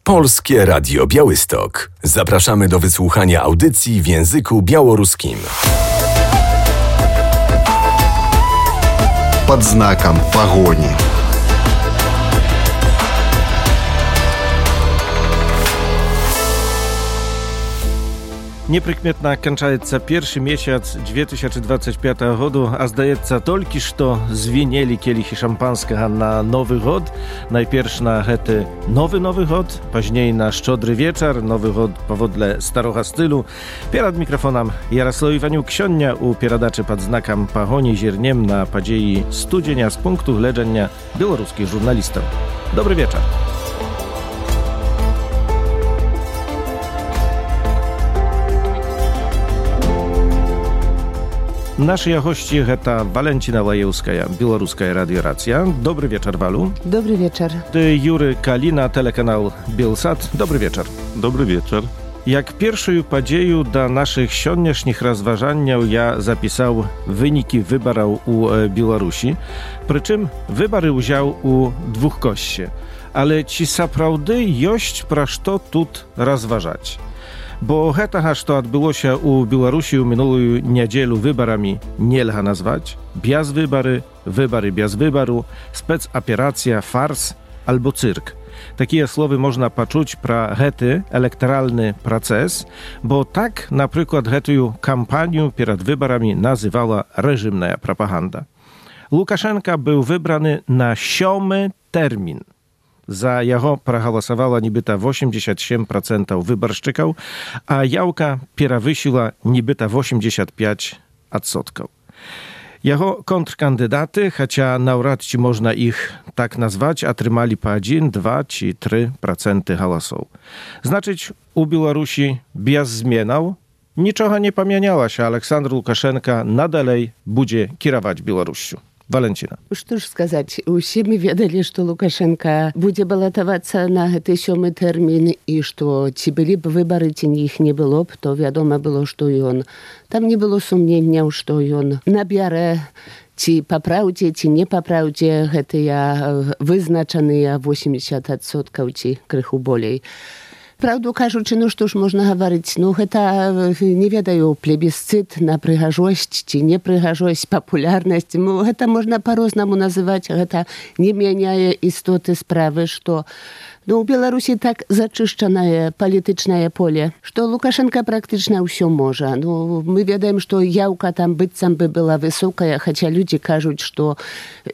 Polskie Radio Białystok. Zapraszamy do wysłuchania audycji w języku białoruskim. Под знаком погони. Неприкметно кончается первый месяц 2025 года, а сдается только что звенели келихи шампанского на Новый год. Najpierw na это Nowy год, później na Szczodry wieczór, Nowy год powodle starego stylu. Przed mikrofonem Jarosław Iwaniuk, ksiądz u передачи pod znakiem pogoni zierniem na podziei studienia z punktu widzenia białoruskich żurnalistów. Dobry wieczór. Наши гости – это Валентина Лаевская, Белорусская радиорация. Добрый вечер, Валу. Добрый вечер. Ты Юрий Калина, телеканал Белсат. Добрый вечер. Dobry wieczór. Jak pierwszą podzieju do naszych dzisiejszych rozważań ja zapisał wyniki wyborów u Białorusi. Przy czym wybory wziął u dwóch kości. Ale ci naprawdę jest pro co tu rozważać. Bo tego, co odbyło się u Białorusi w minulą niedzielę wyborami, nie lga nazwać. Bez wybory, wybory bez wyboru, specoperacja, fars albo cyrk. Takie słowy można poczuć pro hety elektoralny proces, bo tak na przykład hetую kampanię przed wyborami nazywała reżimna propaganda. Łukaszenka był wybrany na 7 termin. Za jego progłosowało nibyta 87% wyborczyków, a Jałka przewyższyła nibyta 85%. Jego kontrkandydaty, chociaż nawrot ci można ich tak nazwać, otrzymali po 1, 2 czy 3% głosów. Znaczyć u Białorusi bez zmian niczego nie pamieniała się. Aleksandr Łukaszenka nadalej będzie kierować Białorusią. Валентина. Что ж сказать, все мы ведали, что Лукашенко будет баллотоваться на этот 7 термин, и что чи были бы выборы, чи их не было бы, то ведомо было, что и он. Там не было сомнения, что и он набере чи по правде, чи не по правде, это вызначенные 80%, чи крыху болей. Правду кажучи, ну што ж можна гаварыць, ну гэта, не ведаю, плебісцыт на прыгажосць ці непрыгажосць, папулярнасць, ну гэта можна па-рознаму называць, гэта не мяняе істоты справы, што у Беларусі так зачышчанае палітычнае поле, што Лукашенко практычна ўсё можа. Ну, мы ведаем, што яўка там быццам бы была высокая, хаця людзі кажуць, што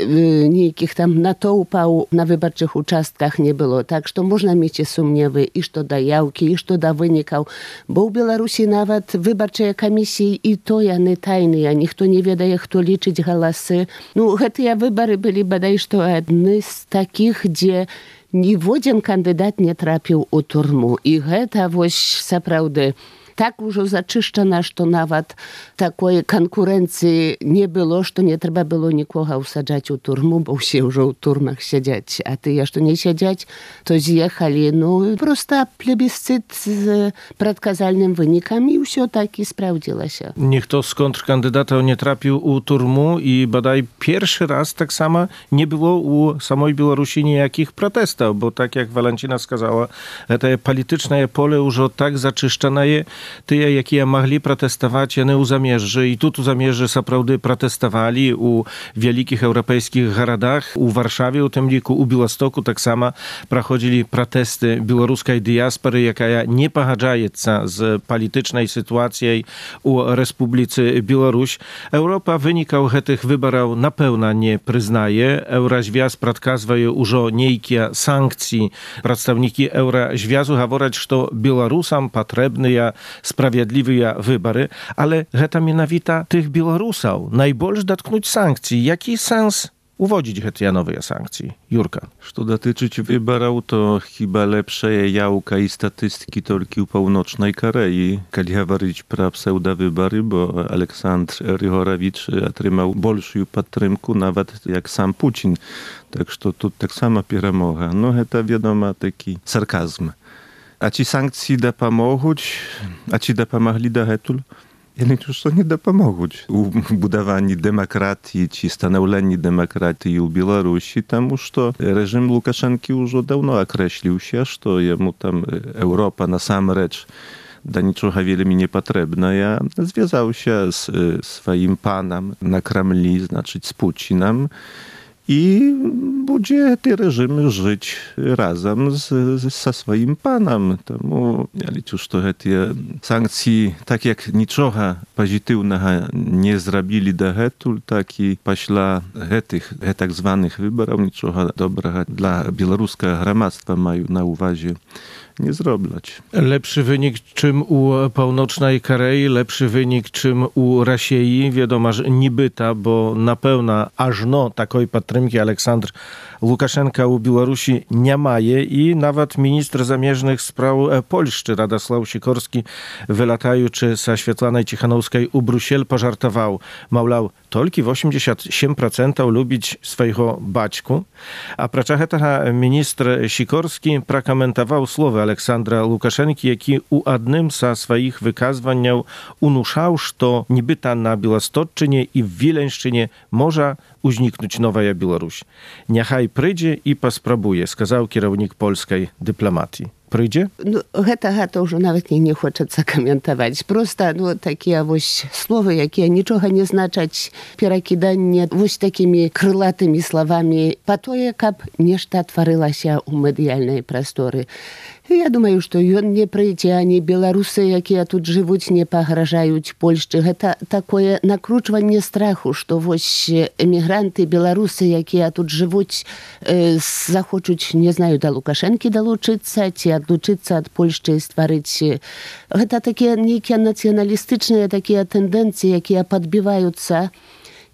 нейкіх там натоўпаў на выбарчых участках не было. Так што можна мець і сумневы і што да яўкі, і што да вынікаў. Бо ў Беларусі нават выбарчыя камісіі і то яны тайныя, ніхто не ведае, хто лічыць галасы. Ну, гэтыя выбары былі бадай што адны з такіх, дзе ніводзін кандыдат не трапіў у турму. І гэта вось сапраўды так ужо зачышчана, што нават такой канкурэнцыі не было, што не трэба было нікога ўсаджаць у турму, бо ўсе ўжо ў турмах сядзяць. А тыя, што не сядзяць, то з'ехалі. Ну, проста плебісцыт з прадказальным вынікам, і ўсё так і спраўдзілася. Ніхто з контркандыдатаў не трапіў у турму, і бадай першы раз таксама не было у самой Беларусі ніякіх пратэстаў, бо так, як Валентина сказала, гэтае палітычнае поле ўжо так зачышчанае. Тыя, якія маглі пратэставаць, яны ў замежжы. І тут у замежжы сапраўды пратэставалі у вялікіх еўрапейскіх гарадах. У Варшаве, у тым ліку, у Беластоку таксама праходзілі пратэсты беларускай дыяспары, якая не пагаджаецца з палітычнай сітуацыяй у Рэспубліцы Беларусь. Еўропа вынікаў гэтых выбараў напэўна не прызнае. Еўразвяз прадказвае ўжо нейкія санкцыі. Прадстаўнікі Еўразвязу гавораць, што беларусам патрэбныя sprawiedliwe wybory, ale гэта менавіта tych Białorusаў najbольш dotknąć sankcji. Jaki sens uwodzić гэтыя новыя санкцыі? Юрка. Што датычыць выбараў, то хіба лепшая яўка і статыстыкі толькі ў паўночнай Карэі, калі гаварыць пра псеўдавыбары, бо Александр Григорович атрымаў большую падтрымку нават як сам Пуцін. Так што тут таксама перамога. Ну, гэта, вядома, такі сарказм. А ці санкцыі дапамогуць? А ці дапамаглі дагэтуль? Я лічу, што не дапамогуць у будаванні дэмакратіі ці станаўленні дэмакратыі ў Беларусі, таму што рэжым Лукашэнкі ўжо даўно акрэсліўся, што яму там Еўропа насамрэч да нічога вельмі не патрэбная. Звязаўся з сваім панам на Крамлі, значыць, з Пуцінам, і будзе гэты рэжым жыць разам са сваім панам. Таму я лічу, што гэтыя санкцыі, так як нічога пазітыўнага не зрабілі дагэтуль, так і пасля гэтых так званых выбараў нічога добрага для беларускага грамадства, маю на ўвазе, nie zrobić. Lepszy wynik czym u Północnej Korei, lepszy wynik czym u Rosji, wiadomo, że nibyta, bo na pełna ażno takiej patrymki Aleksandr Łukaszenka u Białorusi nie maje i nawet minister zamierzchnych spraw Polszczy Radosław Sikorski wylatajuczy ze Świetlanej Cichanowskiej u Brusiel pożartował, małlał, tylko 87% lubić swojego baćku, a praczach tego minister Sikorski prakomentował słowa Aleksandra Łukaszenki, jaki u adnym ze swoich wykazwań unuszał, że nibyta na Białostocczynie i w Wileńszczynie może uzniknąć nowa Białoruś. Niechaj przyjdzie i pospróbuje, skazał kierownik polskiej dyplomatii. Przyjdzie? No, гэта ўжо нават не хочацца каментаваць. Проста, такія вось словы, якія нічога не значаць, перакіданне вось такімі крылатымі словамі па тое, каб нешта тварылася ў медыяльнай прасторы. Я думаю, што ён не прыйдзе, ані беларусы, якія тут жывуць, не пагражаюць Польшчы. Гэта такое накручванне страху, што вось эмігранты, беларусы, якія тут жывуць, захочуць, не знаю, да Лукашэнкі далучыцца, ці адлучыцца ад Польшчы і стварыць. Гэта такія нейкія нацыяналістычныя такія тэндэнцыі, якія падбіваюцца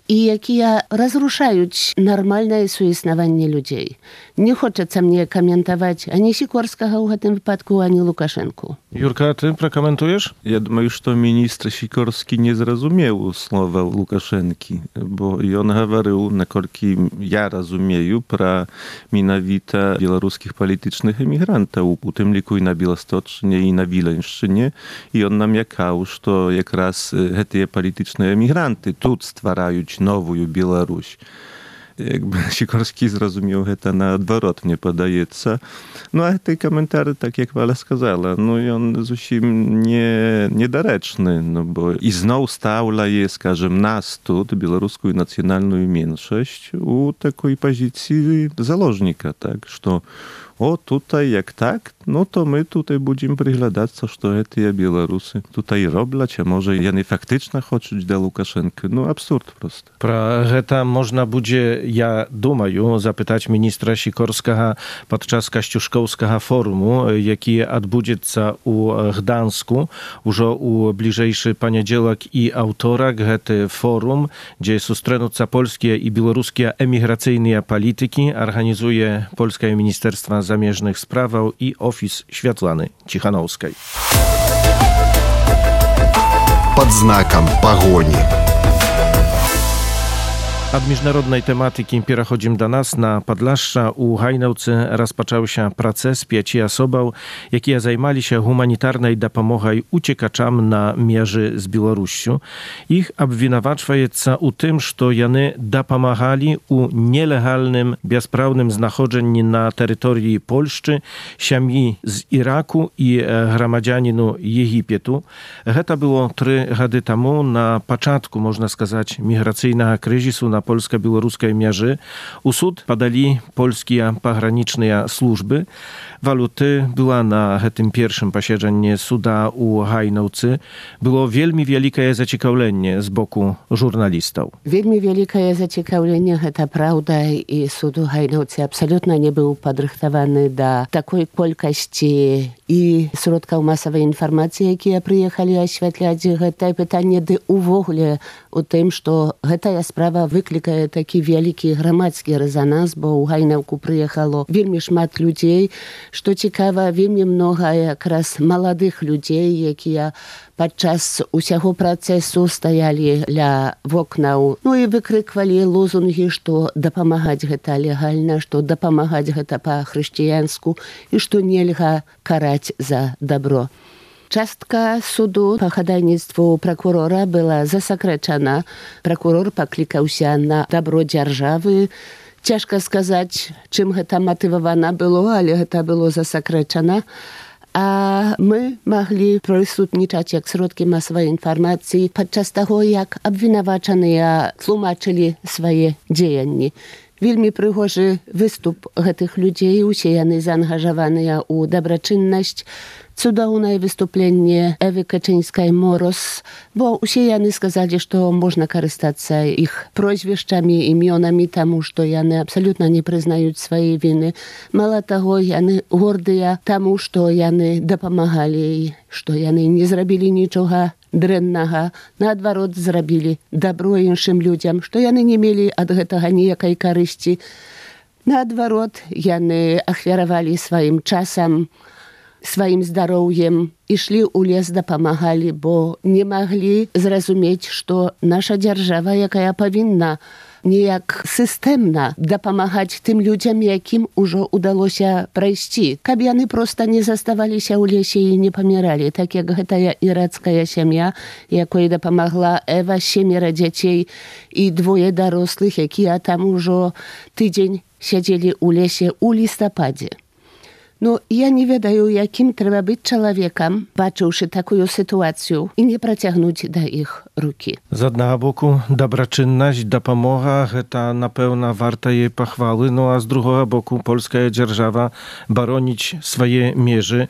і якія разрушаюць нармальнае суіснаванне людзей. Не хочацца мне каментаваць ані Сікорскага ў гэтым выпадку, ані Лукашэнку. Юрка, ty prokomentujesz? Ja думаю, што міністр Сікорскі не зразумеў слова Лукашэнкі, бо ён гаварыў, наколькі я разумею, пра менавіта беларускіх палітычных эмігрантаў, у тым ліку і на Біласточчыне, і на Віленшчыне, і ён намякаў, што якраз гэтыя палітычныя эмігранты тут ствараюць новую Беларусь. Jakby Sikorski zrozumiał to na odwrot, mnie podaється. No a te komentarze, tak jak Wala сказала, no i on zupełnie niedoreczny, no bo i znowu stawla jest, скажем, nas тут, białoruską nacjonalną mniejszość, u takiej pozycji założnika, tak, że o, tutaj jak tak, no to my tutaj będziemy przyglądać, co te Białorusy tutaj robią, a może oni faktycznie chcą do Łukaszenki. No absurd prosto. Про гэта można będzie, ja думаю, zapytać ministra Sikorskiego podczas Kościuszkowskiego forumu, jaki odbędzie u Gdańsku, już u bliżejszy poniedziałek i autorek, гэта forum, gdzie sustrzegną polskie i białoruskie emigracyjne polityki, organizuje Polskie Ministerstwo Zamierzchnych Spraw i Ofis Światlany Cichanowskiej. Pod znakiem pogoni. Od międzynarodnej tematyki przechodzimy do nas. Na Podlaszcza u Hajnałce rozpoczął się proces 5 osób, jakie zajmowali się humanitarnej dopomogą uciekaczom na mierze z Białorusią. Ich obwinowaczają u tym, że oni dopomagali u nielegalnym, bezprawnym znachodzeniu na terytorii Polszczy, siami z Iraku i gromadzianinu Egiptu. To było 3 lata temu, na początku, można сказать, migracyjnego kryzysu na polsko-białoruskiej mierze. U sud padali polskie pograniczne służby. Waluty była na tym pierwszym posiedzeniu suda u Hajnałce. Było wielmi wielkie zaciekawienie z boku żurnalistów. Wielmi wielkie zaciekawienie, to prawda, i sud u Hajnałce absolutnie nie był podrychtowany do takiej ilości i środków masowej informacji, jakie przyjechali oświetlać to pytanie, w ogóle o tym, że ta sprawa wyklikaje taki wielki gromadski rezonans, bo u Hajnałku przyjechało wielmi szmat ludzi, что цікава, вельмі многа якраз маладых людзей, якія падчас усяго працэсу стаялі ля вокнаў, ну і выкрыквалі лозунгі, што дапамагаць гэта легальна, што дапамагаць гэта па-хрысціянску і што нельга караць за добро. Частка суду по ходайництву прокурора была засекречена. Прокурор покликался на добро державы. Ciężko сказать, czym to motywowane było, ale to było засекречено. A my mogli przysutniczać jak środki masowej informacji podczas tego, jak obwinowacone tłumaczyli swoje działania. Wielmi przygorzy wystup tych ludzi, usiejany zaangażowany u dobroczynność, cudowne wystąpienie Ewy Kaczyńskiej-Moros, bo usiejany сказали, że można korzystać ich proświeszczami, imionami, temu, że oni absolutnie nie przyznają swojej winy. Mało tego, oni gordy temu, że oni dopomagali, że oni nie zrobili niczego дрэннага, наадварот, зрабілі дабро іншым людзям, што яны не мелі ад гэтага ніякай карысці. Наадварот, яны ахвяравалі сваім часам, сваім здароўем, ішлі ў лес, дапамагалі, бо не маглі зразумець, што наша дзяржава, якая павінна ніяк сістэмна дапамагаць тым людзям, якім ужо ўдалося прайсці, каб яны проста не заставаліся ў лесе і не паміралі, так як гэтая ірацкая сям'я, якой дапамагла Эва, 7 дзяцей і 2 дарослых, якія там ужо тыдзень сядзелі ў лесе ў лістападзе. No, ja nie wiedаю, jakim trzeba być człowiekiem, bacząwszy taką sytuację i nie przeciągnąć do ich ruki. Z jednego boku dobroczynność, dopomoga, to na pewno warta jej pochwały, no a z drugiego boku polska dzierżawa bronić swoje mierzy.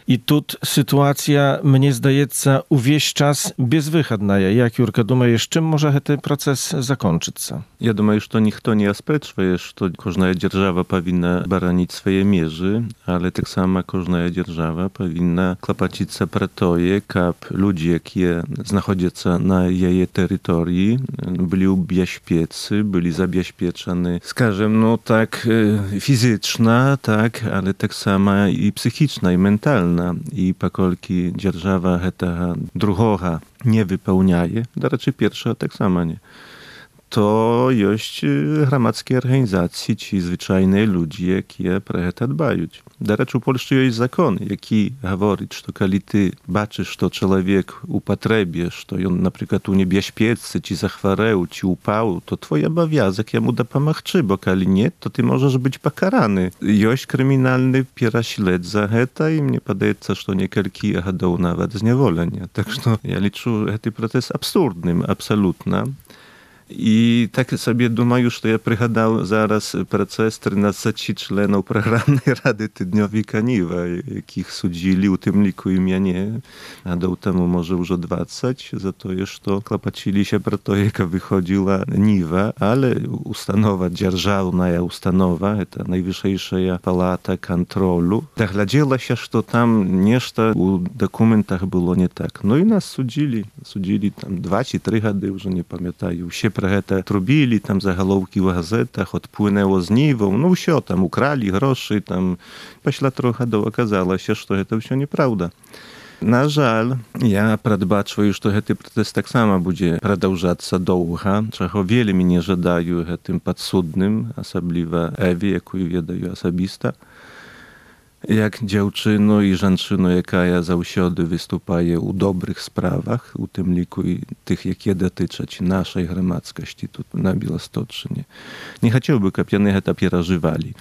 I tu sytuacja, mnie zdaje się, увесь czas bezwychodna. Jak Jurka, думаешь, czym może ten proces zakończyć się? Ja думаю, что никто не оспрачивает, что каждая держава повинна баранить свои межи, ale так само каждая держава повинна клопотиться про то, как люди, которые находятся на ее территории, были убезпечены, были забезпечены, скажем, ну так физично, так, ale tak samo i psychiczna, i mentalna. I pokolki dzierżawa tego drugiego nie wypełniaje, to raczej pierwsza tak samo nie. To jest gromadzkie organizacje, ci zwyczajne ludzie, którzy pro to dbają. Do rzeczy, w Polsce jest zakon, jaki mówi, że kiedy ty baczysz, że człowiek upotrzebie, że on na przykład u niebezpieczny, czy zachwareł, czy upał, to twój obowiązek jemu dopomagać, bo kiedy nie, to ty możesz być pokarany. Jest kryminalny pierśled za to i mnie wydaje się, że niekielki ładow nawet zniewolenia. Także ja liczę, że ten proces absurdnym, absolutnie. I tak sobie думаю, że ja przygadał zaraz proces 13 członków programnej Rady Tydniowej Kaniwa, jakich sudzili, u tym liku i mnie, a do temu może już 20, za to jeszcze to klapacili się pro to, jaka wychodziła Niwa, ale ustanowa, dzierżawna ustanowa, to najwyższa palata kontrolu, doglądała się, że tam nieszta u dokumentach było nie tak. No i nas sudzili tam 2 czy 3 gady, już nie pamiętają, się про гэта трубілі, там загалоўкі ў газетах, адпłynęło з Ніваў, ну ўсё, там укралі грошы, там пасля 3 гадоў аказалася, што гэта ўсё неправда. На жаль, я прадбачваю, што гэты працэс таксама будзе прадаўжацца доўга, чаго вельмі не жадаю гэтым падсудным, асабліва Эве, якую ведаю асабіста. Jak dziewczyno i żeńczyno, jaka zawsiody występuje u dobrych sprawach, u tym liku i tych, jakie dotyczą naszej gromadzkości tu na Białostoczynie. Nie chciałbym, żeby to przeżywali.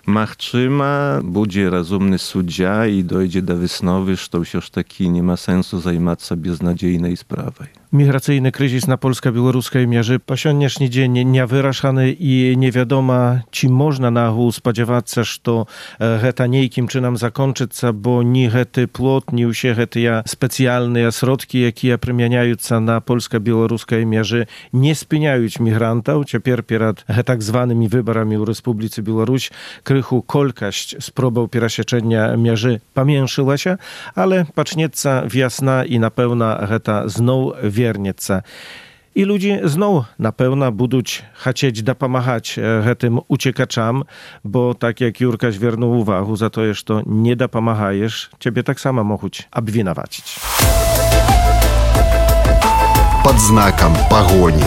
Machczyma będzie rozumny sędzia i dojdzie do wysnowy, że już taki nie ma sensu zajmować się beznadziejnej sprawą. Migracyjny kryzys na polsko-białoruskiej mierze po dzisiejszy dzień niewyraszany i nie wiadomo, czy można na ogół spodziewać się, że to niejakim czynem zakończy się, bo ni hety plot, ni usie hety specjalne środki, jakie przemieniają się na polsko-białoruskiej mierze, nie spieniają migrantów. Teraz przed tak zwanymi wyborami w Republice Białoruś krychu kolkaść z próbą przesieczenia mierzy pamięszyła się, ale pacznieca wiosna i na pewno heta znowu wiernieca. I ludzie znowu na pewno będą chcieć dopomagać tym uciekaczom, bo tak jak Jurka zwierzył uwagę, za to, że to nie dopomagajesz, ciebie tak samo mogą obwinowacić. Pod znakiem pogoni.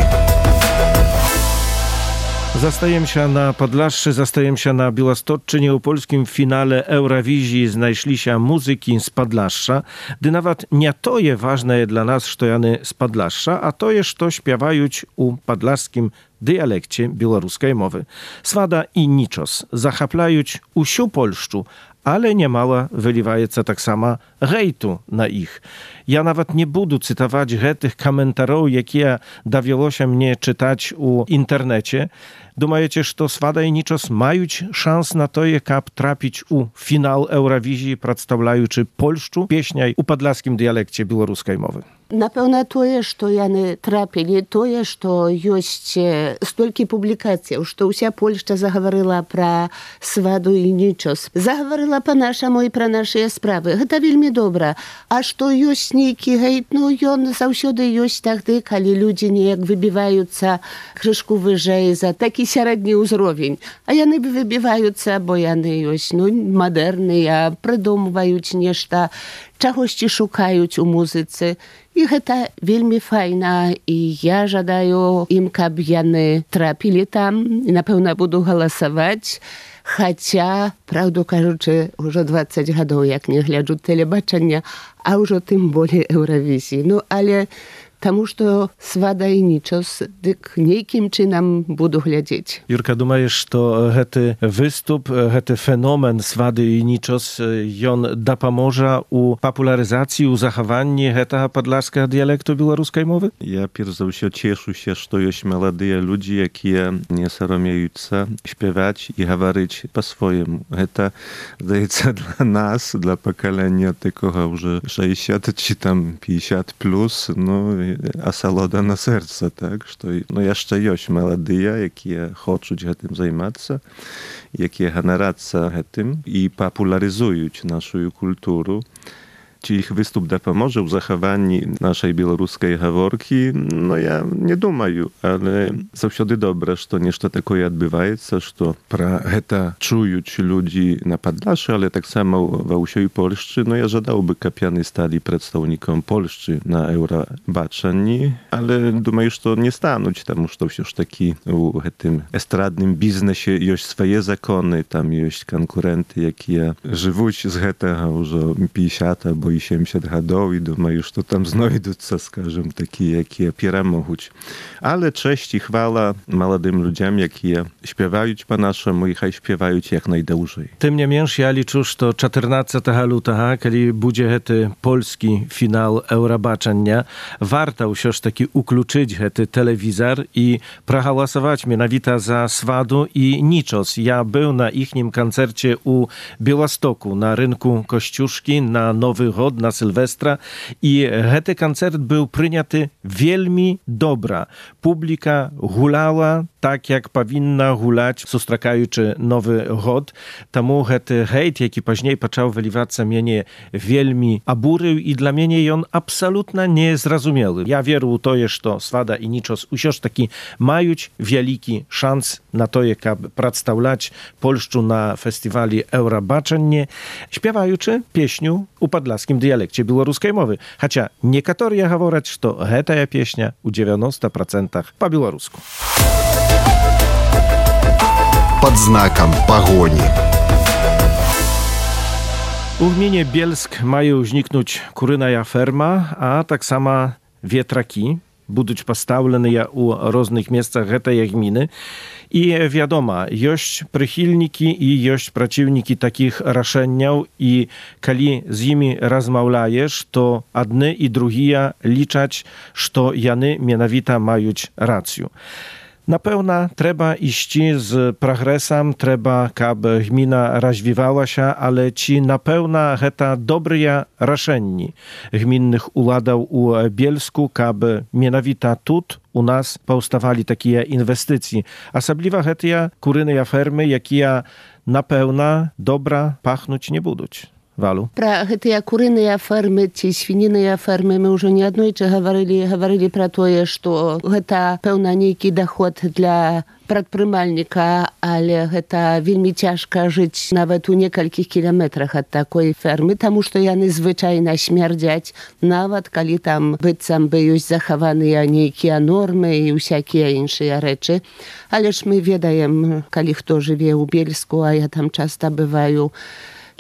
Zastаем się na Podlaszczy, zastаем się na Białostocczynie. U polskim finale Eurowizji znajszli się muzyki z Podlaszcza, gdy nawet nie to jest ważne dla nas, że jany z Podlaszcza, a to jest, to śpiewają u podlaszskim dialekcie białoruskiej mowy. Swada i niczos zachaplają usiu Polszczu, ale niemała wyliwaється tak sama hejtu na ich. Ja nawet nie budu cytować tych komentarzy, jakie dawiło się mnie czytać u internecie. Думаете, что Свада и Ничос мають шанс на то, як трапіць у фінал Еўравізіі, прадстаўляючы Польшчу песняй у падляшскім дыялекце беларускай мовы? Напэўна, тое, што яны трапілі, тое, што ёсць столькі публікацыяў, што ўся Польшча загаварыла пра Сваду і Нічос. Загаварыла па-нашаму і пра нашыя справы. Гэта вельмі добра. А што ёсць нейкі гейт, ну ён заўсёды ёсць тагды, калі людзі неяк выбіваюцца крышку выжэй за такі сярэдні ўзровень. А яны выбіваюцца, бо яны ёсць, мадэрныя, прыдумваюць нешта, чагосьці шукаюць у музыцы. І гэта вельмі файна, і я жадаю ім, каб яны трапілі там, і, напэўна, буду галасаваць. Хаця, праўду кажучы, ўжо 20 гадоў, як не гляджу тэлебачання, а ўжо тым болей Еўравізіі. Ну, але таму, што Свада і Нічос, дык нейкім чынам буду глядзець. Jurka, думаеш, што гэты выступ, гэты феномен Свады і Нічос, ён дапаможа у папулярызацыі, у захаванні гэтага падляшскага дыялекту беларускай мовы? Ja перш за ўсё цешуся, што ёсць маладыя людзі, якія не саромеюцца śpiewać і гаварыць па-свойму. Гэта, здаецца, для нас, для пакалення такога ўжо 60 ці там 50 плюс, асалода на сэрца, так? Што, яшчэ ёсць маладыя, якія хочуць гэтым займацца, якія ганарацца гэтым і папулярызуюць нашу культуру. Czy ich występ dopomoże w zachowaniu naszej białoruskiej gaworki? No ja nie думаю, ale zawsze dobre, że nešto takoje odbywa się, że pra heta czują ludzi na Podlaszy, ale tak samo w usiej Polszczy. No ja żadałby kapiany stali przedstawnikom Polszczy na Eurobaczeni, ale думаю, że nie stanąć, tam już to już taki w tym estradnym biznesie jest swoje zakony, tam jest konkurenty, jakie żywą z tego już 50 albo 70 гадоў, і думаю, што там знойдуцца, скажем, такія, якія перамогуць. Але чэсць і хвала маладым людзям, якія śpiewaють па-нашаму і хай śpiewaють як найдаўжэй. Тым не менш, я лічу, што 14 лютага, калі будзе гэты польскі фінал Еўрабачання, варта ўсё ж такі уключыць гэты тэлевізар і прагаласаваць менавіта за Сваду і Нічос. Я быў на іхнім канцэрце ў Białegostoku, на рынку Косцюшкі, на Новы год, na Sylwestra i гэты канцэрт był прыняты вельмі добра. Публіка гуляла так, jak powinna гуляць, сустракаючы Новы год. Таму гэты гейт, які пазней пачаў вылівацца, мяне вельмі абурыў, і для мяне ён абсалютна незразумелы. Я веру ў тое, што Свада і Нічос усё ж такі маюць вялікі шанс на тое, каб прадстаўляць Польшчу на фестывалі Еўрабачанне, śpiewaючы песню у падляшскім дыялекце беларускай мовы. Хаця некаторыя гавораць, што гэтая песня ў 90% па-беларуску. Под знаком погони. У gminie Bielsk mają uzniknąć kurynaja ferma, a tak sama wietraki будуть поставлені у różnych miejscach гэтай gminy. I wiadoma, jest przychylniki i jest przeciwnicy takich raszeniów i kiedy z nimi rozmawiasz, to jedni i drugie liczać, że jany mianowita mają rację. Na pewno trzeba iść z progresem, trzeba, aby gmina rozwijała się, ale ci na pewno to dobre raszenie gminnych uladów u Bielsku, aby mianowita tut u nas powstawali takie inwestycje. Osobliwa te kuryne fermy, jakie na pewno dobra pachnąć nie będą. Walu. Пра гэтыя курыныя фермы ці свініныя фермы мы ўжо неаднойчы гаварылі пра тое, што гэта, пэўна, нейкі даход для прадпрымальніка, але гэта вельмі цяжка жыць нават у некалькіх кіламетрах ад такой фермы, таму што яны звычайна смярдзяць, нават калі там быццам бы ёсць захаваныя нейкія нормы і ўсякія іншыя рэчы. Але ж мы ведаем, калі хто жыве ў Бельску, а я там часта бываю,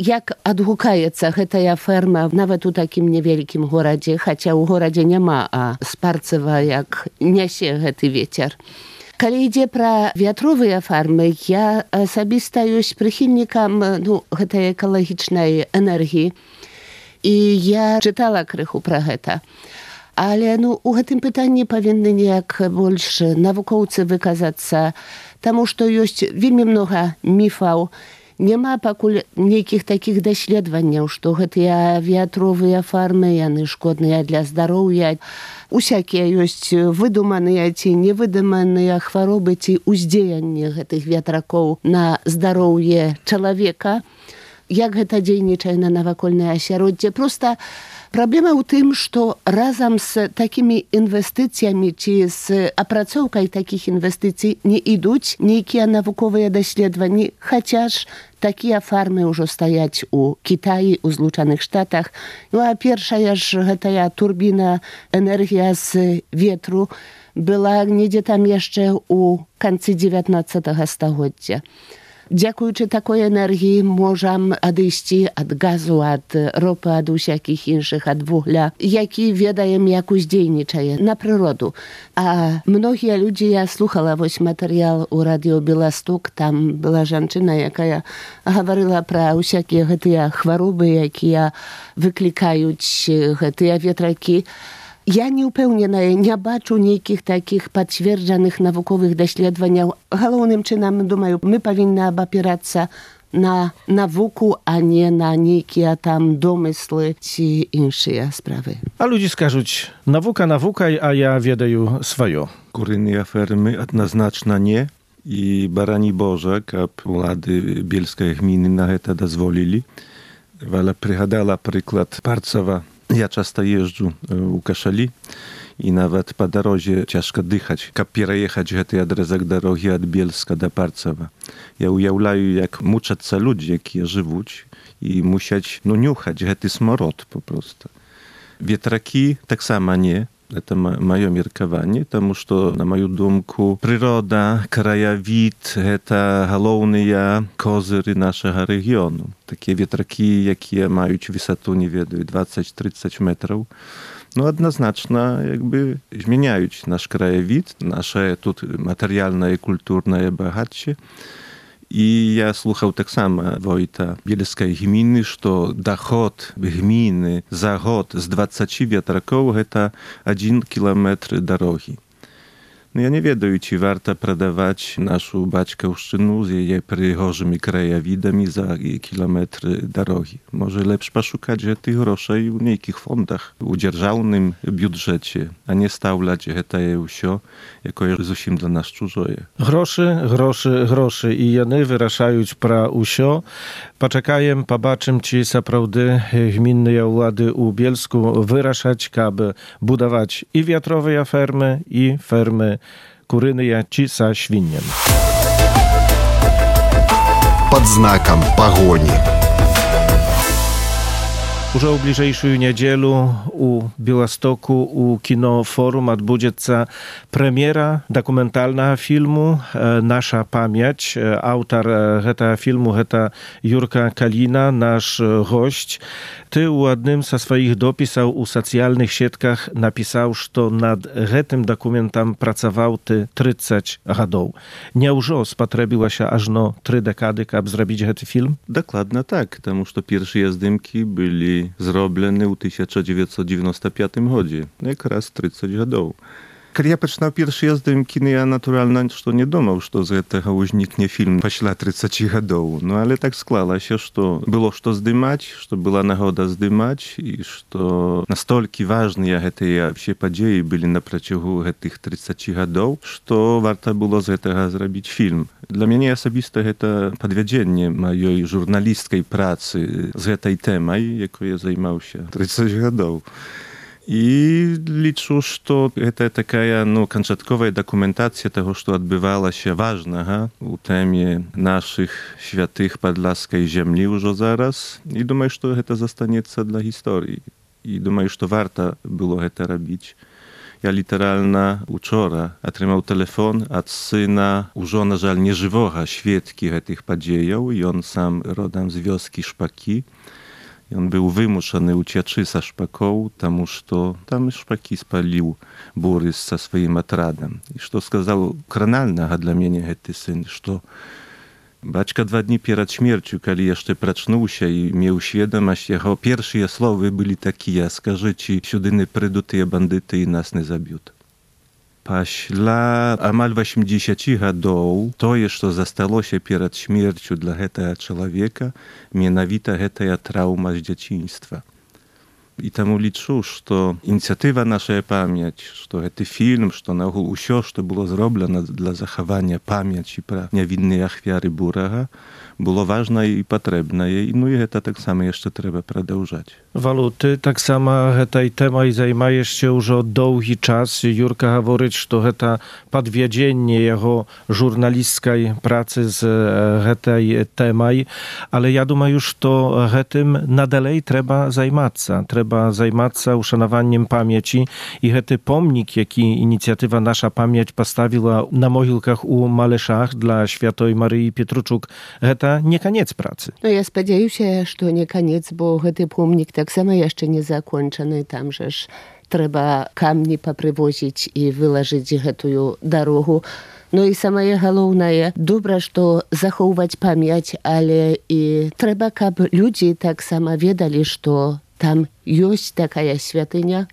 як адгукаецца гэтая ферма нават у такім невялікім горадзе, хаця ў горадзе няма, а Спарцева як нясе гэты вецер. Калі ідзе пра вятровыя фармы, я асабіста ёсць прыхільнікам гэтай экалагічнай энергіі, і я чытала крыху пра гэта. Але у гэтым пытанні павінны неяк больш навукоўцы выказацца, таму што ёсць вельмі многа міфаў. Няма пакуль нейкіх такіх даследаванняў, што гэтыя вятровыя фармы, яны шкодныя для здароўя. Усякія ёсць выдуманыя ці невыдуманыя хваробы ці ўздзеянні гэтых ветракоў на здароўе чалавека. Як гэта дзейнічае на навакольнае асяроддзе? Проста праблема ў тым, што разам з такімі інвестыцыямі ці з апрацоўкай такіх інвестыцый не ідуць нейкія навуковыя даследаванні, хаця ж такія фармы ўжо стаяць у Кітаі, у Злучаных Штатах. А першая ж гэтая турбіна энергія з ветру была недзе там яшчэ ў канцы 19 стагоддзя. Дзякуючы такой энергіі можам адысці ад газу, ад ропы, ад усякіх іншых, ад вугля, які ведаем, як уздзейнічае на прыроду. А многія людзі, я слухала матэрыял у радыё Беласток, там была жанчына, якая гаварыла пра ўсякія гэтыя хваробы, якія выклікаюць гэтыя ветракі. Я не ўпэўненая, не бачу нейкіх такіх пацверджаных навуковых даследаванняў. Галоўным чынам, думаю, мы павінны абапірацца на навуку, а не на нейкія там домыслы ці іншыя справы. А людзі скажуць, навука навукай, а я ведаю сваё. Курыныя фермы адназначна не. І барані Божа, каб улады Бельскай гміны на гэта дазволілі. Валя прыгадала прыклад Парцева. Ja часто езжу у Кашалі, і нават па дарозе цяжка дыхаць, каб пераехаць гэты адрэзак дарогі ад Бельска да Парцева. Я уяўляю, як мучацца людзі, якія жывуць, і мусяць нюхаць гэты смарод папросту. Ветракі таксама не. Это маё меркаванне, таму што, на маю думку, прырода, краявід – гэта галоўныя козыры нашага рэгіёну. Такія ветракі, якія маюць высату, не ведаю, 20-30 метраў, адназначна змяняюць наш краявід, наше тут матэрыяльнае і культурнае багацце. І я слухаў таксама войта Бельскай гміны, што даход гміны за год з 20 ветракоў – гэта 1 кіламетр дарогі. Я не ведаю, ці варта прадаваць нашу бацькаўшчыну з яе прыгожымі краявідамі за кіламетры дарогі. Можа, лепш пашукаць гэтых грошай у нейкіх фондах, у дзяржаўным бюджэце, а не стаўляць гэтае ўсё, якое зусім для нас чужое. Грошы, грошы, грошы, і яны вырашаюць пра ўсё. Пачакаем, пабачым, ці сапраўды гмінныя ўлады ў Бельску вырашаць, каб будаваць і вятровыя фермы, і фермы курыныя ці са свіннем. Пад знакам пагоні. Ужо ў бліжэйшую нядзелу у Беластоку у кінофорум адбудзецца прэм'ера дакументальнага фільму «Наша памяць». Аўтар гэтага фільму – гэта Юрка Каліна, наш госць. Ты ў адным са сваіх допісаў у сацыяльных сетках напісаў, што над гэтым дакументам працаваў ты 30 гадоў. Няўжо спатрэбілася ажно 3 дэкады, каб зрабіць гэты фільм? Дакладна так, таму што першыя здымкі былі зроблены ў 1995 годзе, якраз 30 гадоў. Калі я пачынаў першыя здымкі, я, натуральна, што не думаў, што з гэтага ўзнікне фільм пасля 30 гадоў. Але так склалася, што было што здымаць, што была нагода здымаць, і што настолькі важныя гэтыя ўсе падзеі былі на працягу гэтых 30 гадоў, што варта было з гэтага зрабіць фільм. Для мяне асабіста гэта падвядзенне маёй журналісцкай працы з гэтай тэмай, якой я займаўся 30 гадоў. I liczę, że to taka końcowa dokumentacja tego, co odbywało się ważnego u temie naszych świętych podlaskiej ziemi już zaraz. I думаю, że to zostanie dla historii. I думаю, że warto było to robić. Ja literalnie wczoraj otrzymał telefon od syna, już na żal nieżywego świadka tych podziejów i on sam rodem z wioski Szpaki. I on był wymuszony ucieczki ze Szpaką, потому что tam Szpaki spalił Borys ze swoim atradem. I co сказал kranalnego dla mnie ten syn, że baćka 2 dni przed śmiercią, kiedy jeszcze pracznął się i miał świadomość, jego pierwsze słowa były takie: "Скажите, сюди przyjdą te bandyty i nas nie zabiją". Пасля амаль 80 гадоў тое, што засталося перад смерцю для гэтага чалавека, менавіта гэтая траўма з дзяцінства. І таму лічу, што ініцыятыва «Наша памяць», што гэты фільм, што наогул усё, што было зроблена для захавання памяці пра нявінныя ахвяры бурага, było ważne i potrzebne. I to tak samo jeszcze trzeba продолжać. Walu, ty tak samo tej temą zajmujesz się już od długi czas. Jurka mówi, że to podwiedzienie jego żurnalistskiej pracy z tej temą, ale ja думаю, już to tym nadalej trzeba zajmować się uszanowaniem pamięci i ten pomnik, jaki inicjatywa Nasza Pamięć postawiła na mogilkach u Maleszach dla Świętej Maryi Pietruczuk, nie koniec pracy. No ja spodzieję się, że nie koniec, bo ten pomnik tak samo jeszcze nie zakończony. Tam żeż trzeba kamni poprzywozić i wyłożyć tę drogę. No i самое главное, добре, что заховывать память, ale i trzeba, aby ludzie tak samo wiedzieli, że tam jest taka świętynia,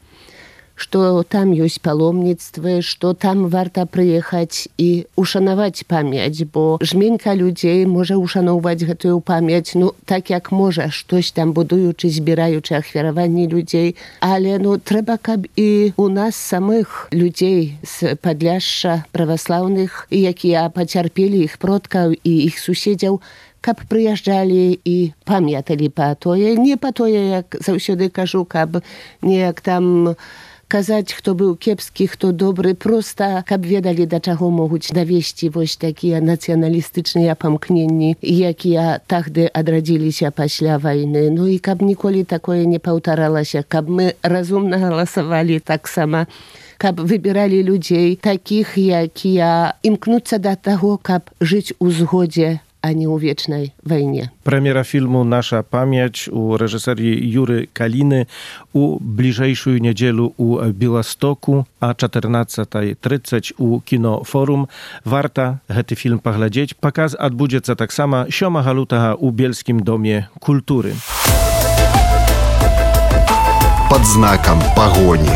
że tam jest pаломництво, że tam warto przyjechać i uszanować pamięć, bo żmienka ludzi może uszanować tę pamięć, no tak jak może, coś tam budują, czy zbierają, czy achwierowanie ludzi, ale no trzeba, aby i u nas samych ludzi z Podlasza prawosławnych, jakie pocierpieli ich przodków i ich sąsiadów, kab przyjeżdżali i pamiętali po to, nie po to, jak zawsze кажу, kab nie jak tam kazać, kto był kiepski, kto dobry, prosta, kab wiedzieli, do czego mogą dowieść właśnie takie nacjonalistyczne pomknienia, jakie tahdy odradzili się после wojny. No i kab nigdy takoje nie powtarzało się, kab my rozumno głosowali tak samo, kab wybierali ludzi takich, jakie imknący do tego, kab żyć u zgodzie, a nie u wiecznej wojnie. Premiera filmu Nasza Pamięć u reżyserii Jury Kaliny u bliżejszą niedzielę u Białostoku, a 14:30 u Kino Forum. Warto ten film poglądać. Pokaz odbędzie się tak samo 7 lutego u Bielskim Domie Kultury. Pod znakiem pogoni.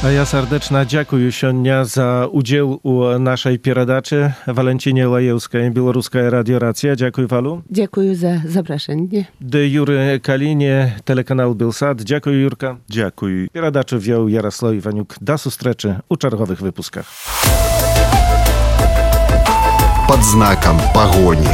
A ja serdecznie dziękuję Sionia za udział u naszej pieradaczy. Walentinie Lajewskiej, Białoruska Radio Racja. Dziękuję Walu. Dziękuję za zaproszenie. De Jury Kalinie, telekanał Bielsat. Dziękuję Jurka. Dziękuję. Pieradaczy wziął Jarosław Iwaniuk. Do zustreczy u czerwowych wypuskach. Pod znakiem pogoni.